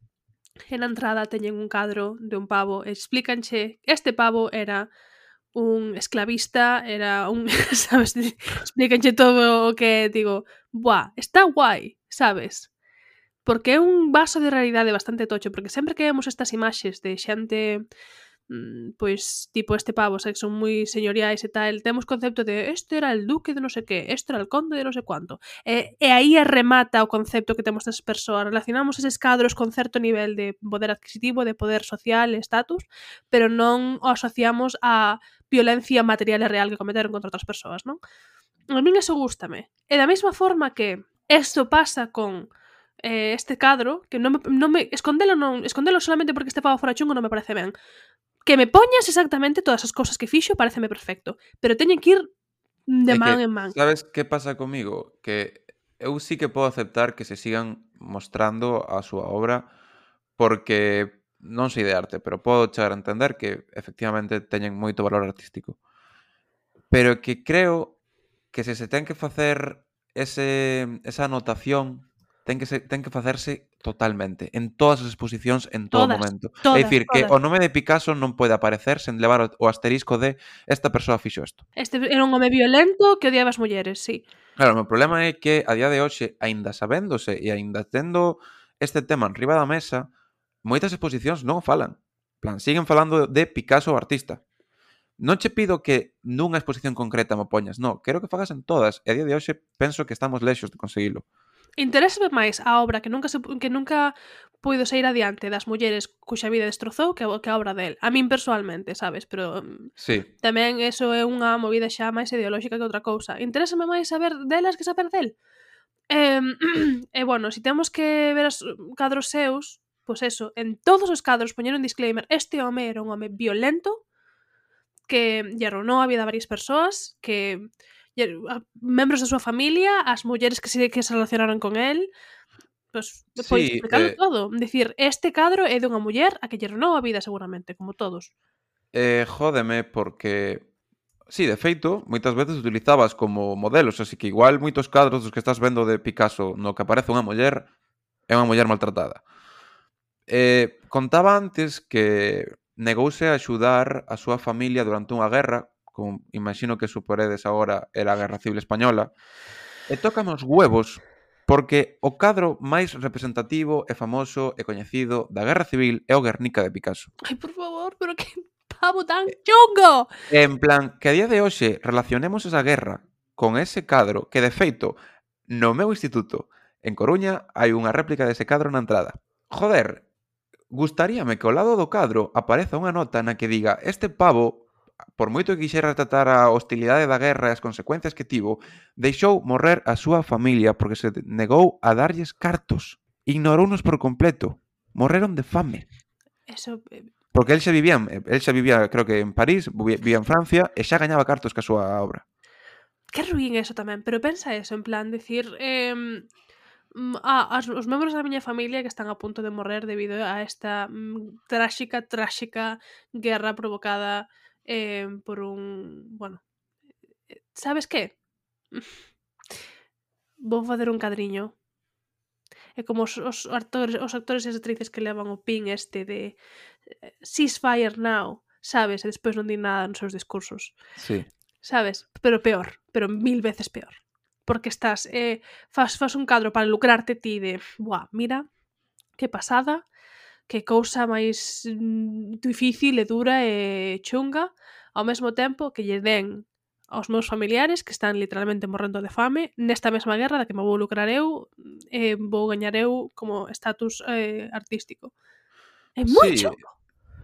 E na entrada teñen un cadro de un pavo e explícanche este pavo era un esclavista, era un, sabes, explícanche todo o que digo, buah, está guai, sabes? Porque é un vaso de realidade bastante tocho, porque sempre que vemos estas imaxes de xente pois tipo este pavo, que son moi señoriais e tal, temos concepto de este era el duque de non sei que, este era el conde de non sei cuánto. E aí remata o concepto que temos desas persoas. Relacionamos eses cadros con certo nivel de poder adquisitivo, de poder social, estatus, pero non o asociamos a violencia material e real que cometeron contra outras persoas, non? A min eso gústame. E da mesma forma que isto pasa con este cadro, que non me escondelo solamente porque este pavo fora chungo non me parece ben. Que me poñas exactamente todas as cousas que fixo pareceme perfecto, pero teñen que ir de É man que, en man. sabes que pasa comigo? Que eu sí que podo aceptar que se sigan mostrando a súa obra porque non sei de arte, pero podo chegar a entender que efectivamente teñen moito valor artístico. Pero que creo que se ten que facer esa anotación ten que facerse totalmente, en todas as exposicións, en todo Todas, momento. É todas, dicir, que todas. o nome de Picasso non pode aparecer sen levar o asterisco de esta persoa fixo isto. Este era un home violento que odiaba as mulleres, sí. Claro, o meu problema é que a día de hoxe, aínda sabéndose e aínda tendo este tema enriba da mesa, moitas exposicións non o falan. En plan, siguen falando de Picasso o artista. Non che pido que nunha exposición concreta mo poñas, non, quero que fagas en todas, e a día de hoxe penso que estamos lexos de conseguilo. Interésame máis a obra que nunca puido sair adiante das mulleres cuxa vida destrozou que a obra del. A min persoalmente, sabes? Pero Sí, tamén eso é unha movida xa máis ideolóxica que outra cousa. Interésame máis saber delas que saber del. E bueno, si temos que ver os cadros seus, pois eso, en todos os cadros poñer un disclaimer, este home era un home violento que lle arruinou a vida a varias persoas, que membros da súa familia, as mulleres que se relacionaron con el, pois sí, explicalo todo. Dicir, este cadro é dunha muller a que lle arruinou a vida seguramente, como todos. jódeme porque sí, de feito, moitas veces utilizabas como modelos, así que igual moitos cadros dos que estás vendo de Picasso no que aparece unha muller é unha muller maltratada. Contaba antes que negouse a axudar a súa familia durante unha guerra, como imagino que suporedes agora era a Guerra Civil Española, e tócame os huevos porque o cadro máis representativo e famoso e coñecido da Guerra Civil é o Guernica de Picasso. Ai, por favor, pero que pavo tan chungo! En plan, que a día de hoxe relacionemos esa guerra con ese cadro que, de feito, no meu instituto, en Coruña, hai unha réplica dese cadro na entrada. Joder, gustaríame que ao lado do cadro apareza unha nota na que diga este pavo, por moito que quixera tratar a hostilidade da guerra e as consecuencias que tivo, deixou morrer a súa familia porque se negou a darlles cartos. Ignorounos por completo. Morreron de fame. Eso, Porque el xa vivía, creo que en París, vivía en Francia, e xa gañaba cartos ca súa obra. que ruín eso tamén, pero pensa eso, en plan, decir, os membros da miña familia que están a punto de morrer debido a esta tráxica guerra provocada por un, bueno, sabes que? Vou facer un cadriño. É como os actores e as actrices que levan o pin este de ceasefire now, sabes? E despois non din nada nos seus discursos. Sí. Sabes? Pero peor, pero 1000 veces peor. Porque estás, fas un cadro para lucrarte ti de, buah, mira, que pasada, que cousa máis difícil e dura e chunga, ao mesmo tempo que lle den aos meus familiares que están literalmente morrendo de fame nesta mesma guerra da que me vou lucrar eu e vou gañar eu como estatus artístico. É moi Sí, chungo.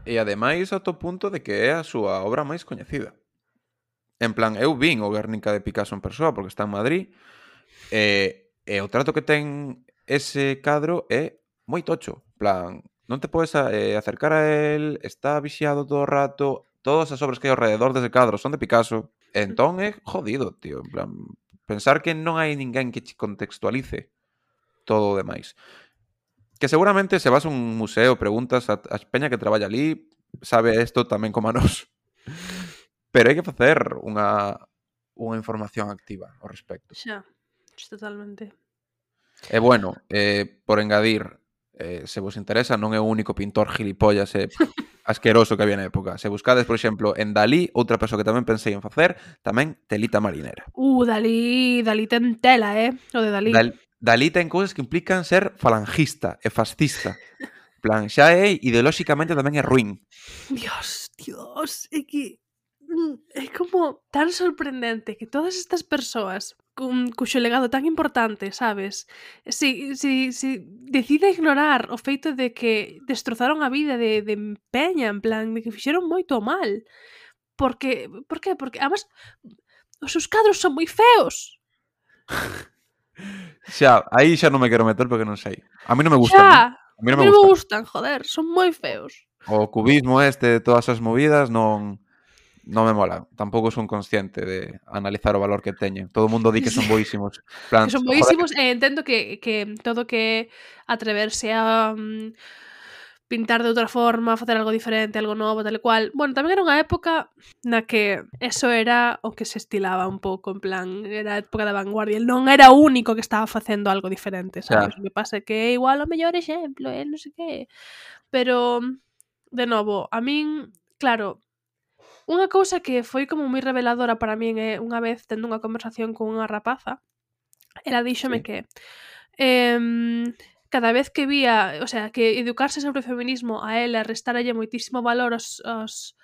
e ademais ao punto de que é a súa obra máis coñecida. En plan, eu vin o Guernica de Picasso en persoa porque está en Madrid e o trato que ten ese cadro é moi tocho. En plan, non te podes acercar a él, está vixiado todo o rato, todas as obras que hai ao rededor dese cadro son de Picasso. Entón é jodido, tío. En plan, pensar que non hai ninguén que che contextualice todo o demais. Que seguramente se vas a un museo, preguntas a peña que traballa ali, sabe isto tamén como a nós. Pero hai que facer unha información activa ao respecto. Xa, totalmente. E bueno, por engadir, se vos interesa, non é o único pintor gilipollas e asqueroso que había na época. Se buscades, por exemplo, en Dalí, outra persoa que tamén pensei en facer, tamén telita marinera. Dalí ten tela, o de Dalí. Dalí ten cousas que implican ser falangista e fascista. En plan, xa é ideolóxicamente tamén é ruín. Dios, é que é como tan sorprendente que todas estas persoas cuxo legado tan importante, sabes? Si decide ignorar o feito de que destrozaron a vida de Peña, en plan, de que fixeron moito mal. Por qué? Porque, además, os seus cadros son moi feos. Xa, aí xa non me quero meter porque non sei. A mí non me gustan. Xa, A mí non me gustan. joder, son moi feos. O cubismo todas as movidas non me mola. Tampouco son consciente de analizar o valor que teñen. Todo o mundo di que son boísimos. Que son boísimos e entendo que todo que atreverse a pintar de outra forma, facer algo diferente, algo novo, tal e cual. Bueno, tamén era unha época na que eso era o que se estilaba un pouco, en plan, era a época da vanguardia. Non era o único que estaba facendo algo diferente, sabes? O que pasa é que é igual o mellor exemplo, non sei que. Pero, de novo, a min, claro, unha cousa que foi como moi reveladora para min é unha vez tendo unha conversación con unha rapaza, ela díxome que cada vez que vía, o sea, que educarse sobre o feminismo a ela restáralle moitísimo valor aos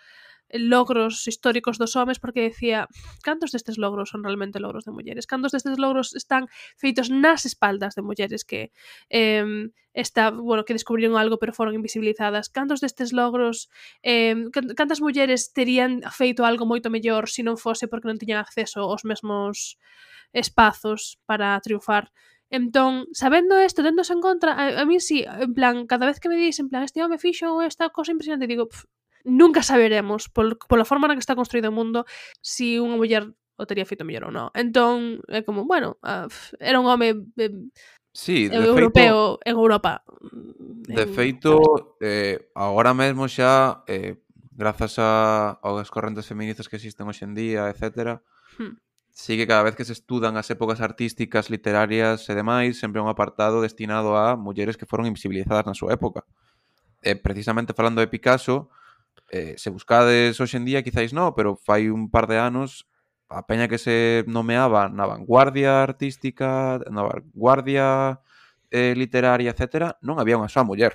logros históricos dos homes, porque decía, cantos destes logros son realmente logros de mulleres? Cantos destes logros están feitos nas espaldas de mulleres que que descubriron algo pero foron invisibilizadas? Cantos destes logros cantas mulleres terían feito algo moito mellor se non fose porque non tiñan acceso aos mesmos espazos para triunfar? Entón, sabendo isto, téndose en contra, a mí sí, en plan, cada vez que me dis, en plan, este home fixo esta cosa impresionante, digo, nunca saberemos, pola forma na que está construído o mundo, si unha muller o tería feito mellor ou non. Entón, é como, bueno, era un home sí, europeo en Europa. De feito, agora mesmo xa, grazas aos correntes feministas que existen hoxe en día, etcétera, sí que cada vez que se estudan as épocas artísticas, literarias e demais, sempre un apartado destinado a mulleres que foron invisibilizadas na súa época. Precisamente falando de Picasso, se buscades hoxe en día, quizáis non, pero fai un par de anos, a peña que se nomeaba na vanguardia artística, na vanguardia literaria, etcétera, non había unha soa muller.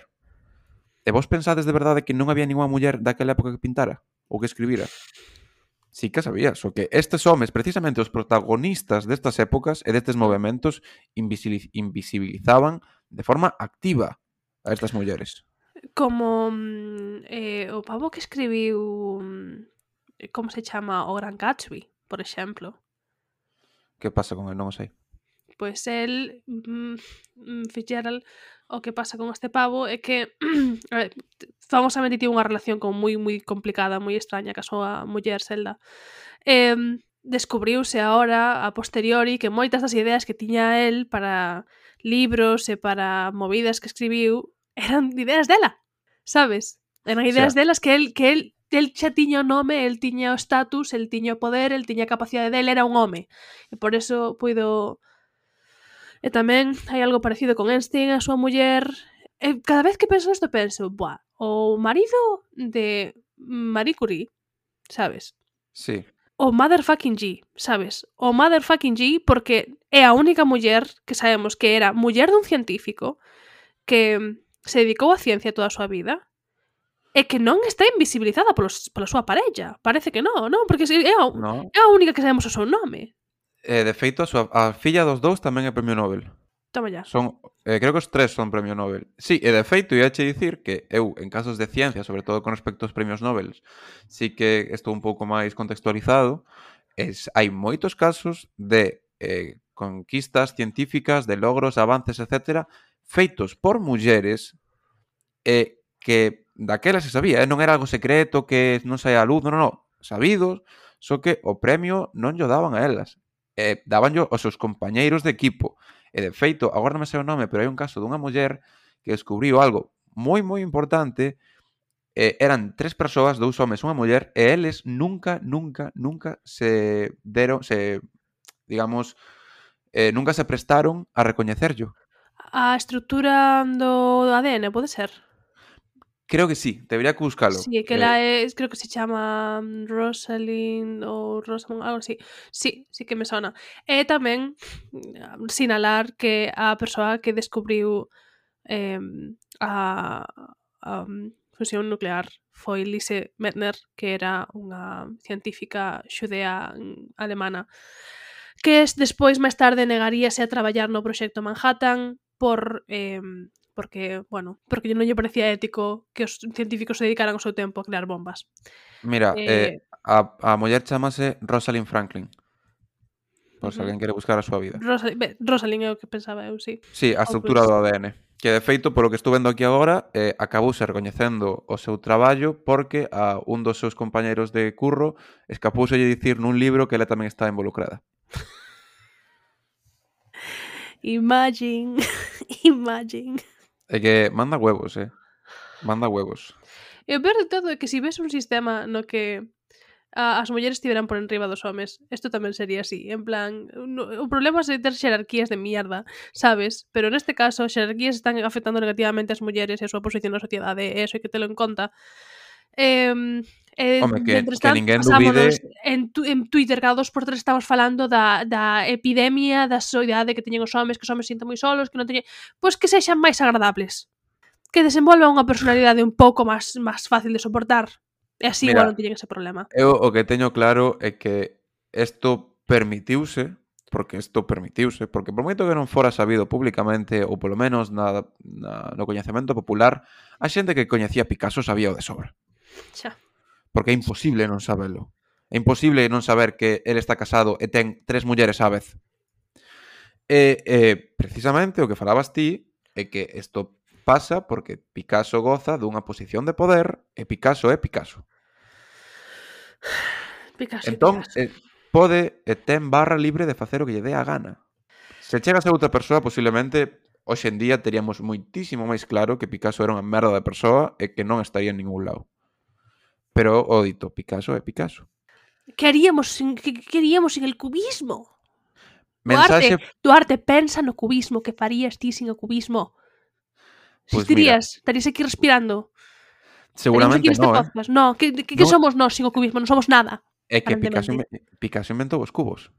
E vos pensades de verdade que non había ninguna muller daquela época que pintara ou que escribira? Sí que sabía, só que estes homes, precisamente os protagonistas destas épocas e destes movementos, invisibilizaban de forma activa a estas mulleres. Como o pavo que escribiu como se chama o Gran Gatsby, por exemplo. Que pasa con el? Non o sei. Pois el Fitzgerald, o que pasa con este pavo é que famosamente tivo unha relación como moi complicada, moi extraña ca súa muller Zelda. Descubriuse agora a posteriori que moitas das ideas que tiña el para libros e para movidas que escribiu eran ideas dela, sabes? Eran ideas delas que el xa tiña o nome, el tiña o status, el tiña o poder, el tiña a capacidade dele, era un home. E por eso puido... E tamén hai algo parecido con Einstein, a súa muller. Cada vez que penso isto penso, o marido de Marie Curie, sabes? Sí. O motherfucking G, sabes? O motherfucking G porque é a única muller que sabemos que era muller dun científico que se dedicou á ciencia toda a súa vida e que non está invisibilizada pola súa parella. Parece que non? Porque é a única que sabemos o seu nome. De feito, a filla dos dous tamén é premio Nobel. Toma ya. Creo que os tres son premio Nobel. Sí, e de feito, iache dicir que eu, en casos de ciencia, sobre todo con respecto aos premios Nobel, sí que estou un pouco máis contextualizado. Hai moitos casos de conquistas científicas, de logros, avances, etcétera, feitos por mulleres que daquela se sabía, non era algo secreto que non saía a luz, non, sabidos, só que o premio non llo daban a elas. Dabanllo aos seus compañeiros de equipo. E de feito, agora non me sei o nome, pero hai un caso dunha muller que descubriu algo moi importante. Eran 3 persoas, 2 homes, unha muller, e eles nunca se deron, digamos, nunca se prestaron a recoñecerllo. A estrutura do ADN, pode ser? Creo que sí, debería que buscalo. Sí, que la es, creo que se chama Rosalind ou Rosamund, algo así. Sí, sí que me sona. E tamén sinalar que a persoa que descubriu a fusión nuclear foi Lise Meitner, que era unha científica xudea alemana, que despois máis tarde negaríase a traballar no proxecto Manhattan porque non lle parecía ético que os científicos se dedicaran o seu tempo a crear bombas. Mira, Eh, a muller chamase Rosalind Franklin, por se uh -huh. alguén quere buscar a súa vida. Rosalind é o que pensaba eu, sí. Sí, a estrutura do ADN. Que de feito, polo que estou vendo aquí agora, acabouse recoñecendo o seu traballo porque a un dos seus compañeiros de curro escapouse dicir nun libro que ela tamén está involucrada. Imagine. É que manda huevos, manda huevos. E o peor de todo é que se ves un sistema no que as mulleres estiveran por enriba dos homes, isto tamén sería así, en plan, o problema é ter xerarquías de mierda, sabes? Pero neste caso, as xerarquías están afectando negativamente as mulleres e a súa posición na sociedade, e eso hai que telo en conta. Home, Mentres que tanto, ninguén pasámonos dubide... en Twitter cada 2x3 estamos falando da epidemia, da soidade que teñen os homes, que os homes sinten moi solos, que non teñen... Pois que sexan máis agradables. Que desenvolvan unha personalidade un pouco máis fácil de soportar. E así igual non teñen ese problema. Eu o que teño claro é que isto permitiuse, porque por moito que non fora sabido públicamente, ou polo menos no coñecemento popular, a xente que coñecía Picasso sabía o de sobra. Xa. Porque é imposible non sabelo. É imposible non saber que ele está casado e ten 3 mulleres á vez. E precisamente o que falabas ti é que isto pasa porque Picasso goza dunha posición de poder e Picasso é Picasso. Picasso, entón, Picasso. pode e ten barra libre de facer o que lle dé a gana. Se chega a ser outra persoa, posiblemente hoxe en día teríamos moitísimo máis claro que Picasso era unha merda de persoa e que non estaría en ningún lado. Pero o dito, Picasso é Picasso. Que haríamos sin el cubismo? Mensaxe... Duarte, pensa no cubismo, que farías ti sin o cubismo? Existirías? Estarías aquí respirando? Seguramente non, No, que somos nós sin o cubismo? Non somos nada. É que Picasso inventou os cubos.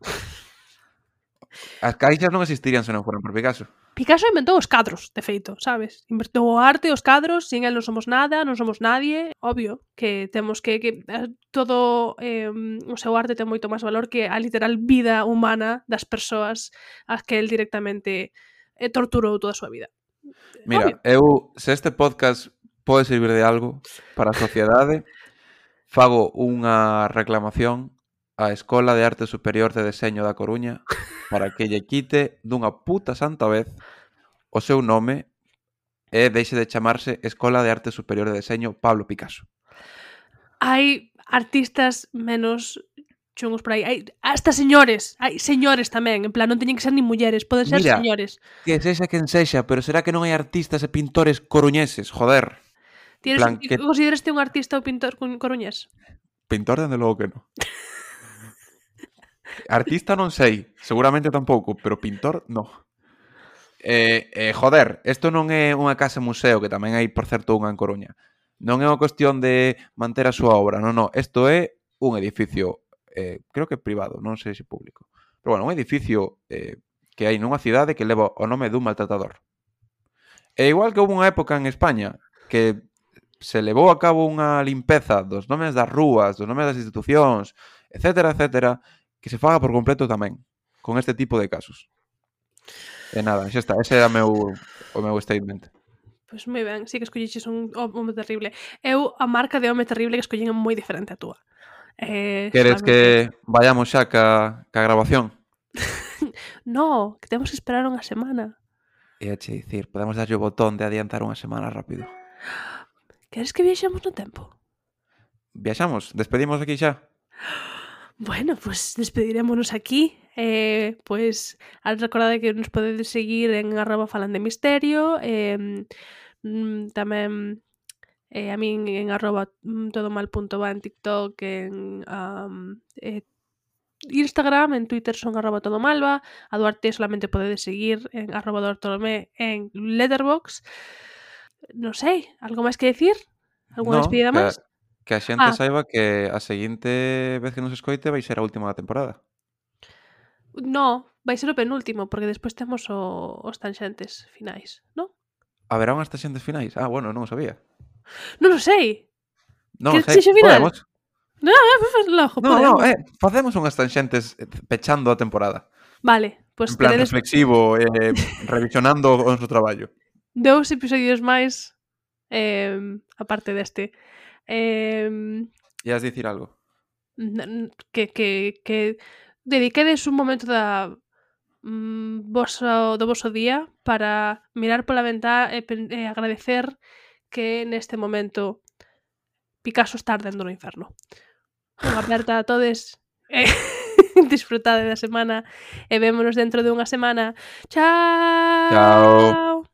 As caixas non existirían se non foran por Picasso. Picasso inventou os cadros, de feito, sabes? Inventou o arte, os cadros, sin el non somos nada, non somos nadie. Obvio que temos que todo o seu arte ten moito máis valor que a literal vida humana das persoas as que el directamente torturou toda a súa vida. Mira, se este podcast pode servir de algo para a sociedade, fago unha reclamación á Escola de Arte Superior de Deseño da Coruña para que lle quite dunha puta santa vez o seu nome e deixe de chamarse Escola de Arte Superior de Deseño Pablo Picasso. Hai artistas menos chungos por aí. Hai hasta señores tamén, en plan, non teñen que ser nin mulleres, poden ser señores. Que sexa quen sexa, pero será que non hai artistas e pintores coruñeses, joder. Consideraste un artista ou pintor coruñés? Pintor, dende logo que non. Artista non sei, seguramente tampouco, pero pintor, non. Joder, isto non é unha casa museo, que tamén hai, por certo, unha en Coruña. Non é unha cuestión de manter a súa obra, non. Isto é un edificio, creo que privado, non sei se público. Pero bueno, un edificio que hai nunha cidade que leva o nome dun maltratador. E igual que houve unha época en España que se levou a cabo unha limpeza dos nomes das rúas, dos nomes das institucións, etcétera, etcétera, que se faga por completo tamén con este tipo de casos. E nada, xa está, ese era o meu statement. Pois moi ben, sí que escolliches un home terrible. Eu a marca de home terrible que escollín é moi diferente a túa. Queres que vayamos xa ca grabación? No, que temos que esperar unha semana. E a che dicir, podemos darlle o botón de adiantar unha semana rápido. Queres que viaxemos no tempo? Viaxamos? Despedimos aquí xa? Bueno, pues despedirémonos aquí. Pues recordade que nos podedes seguir en @falandemisterio, tamén a min en @todomal.va en TikTok, en Instagram, en Twitter son @todomalva, a Duarte solamente podedes seguir en @duartolomé en Letterboxd. Non sei, algo máis que decir? Algunha No, despedida máis? que a xente Ah, saiba que a seguinte vez que nos escoite vai ser a última da temporada. no, vai ser o penúltimo, porque despois temos os tanxentes finais, non? Haberá unhas taxentes finais? Ah, bueno, non o sabía. Non o sei. Non Que sei, sexa final? podemos. No, logo, No, podemos. facemos unhas tanxentes pechando a temporada. Vale, pois En plan teredes reflexivo, revisionando o noso traballo. 2 episodios máis aparte deste. Ias dicir algo? Que dediquedes un momento do voso día para mirar pola ventá e agradecer que neste momento Picasso está ardendo no inferno. Unha aperta a todes e disfrutade da semana e vémonos dentro de unha semana. Chao. Chao.